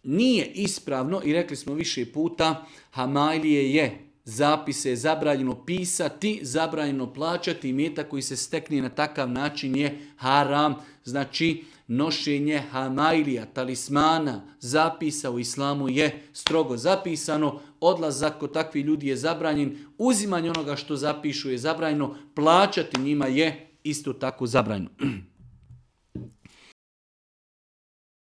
nije ispravno i rekli smo više puta, hamajlije je, zapise je zabranjeno pisati, zabranjeno plaćati, imetak koji se stekne na takav način je haram. Znači, nošenje hamajlija, talismana, zapisa u islamu je strogo zapisano, odlazak kod takvih ljudi je zabranjen, uzimanje onoga što zapišu je zabranjeno, plaćati njima je isto tako zabranjeno.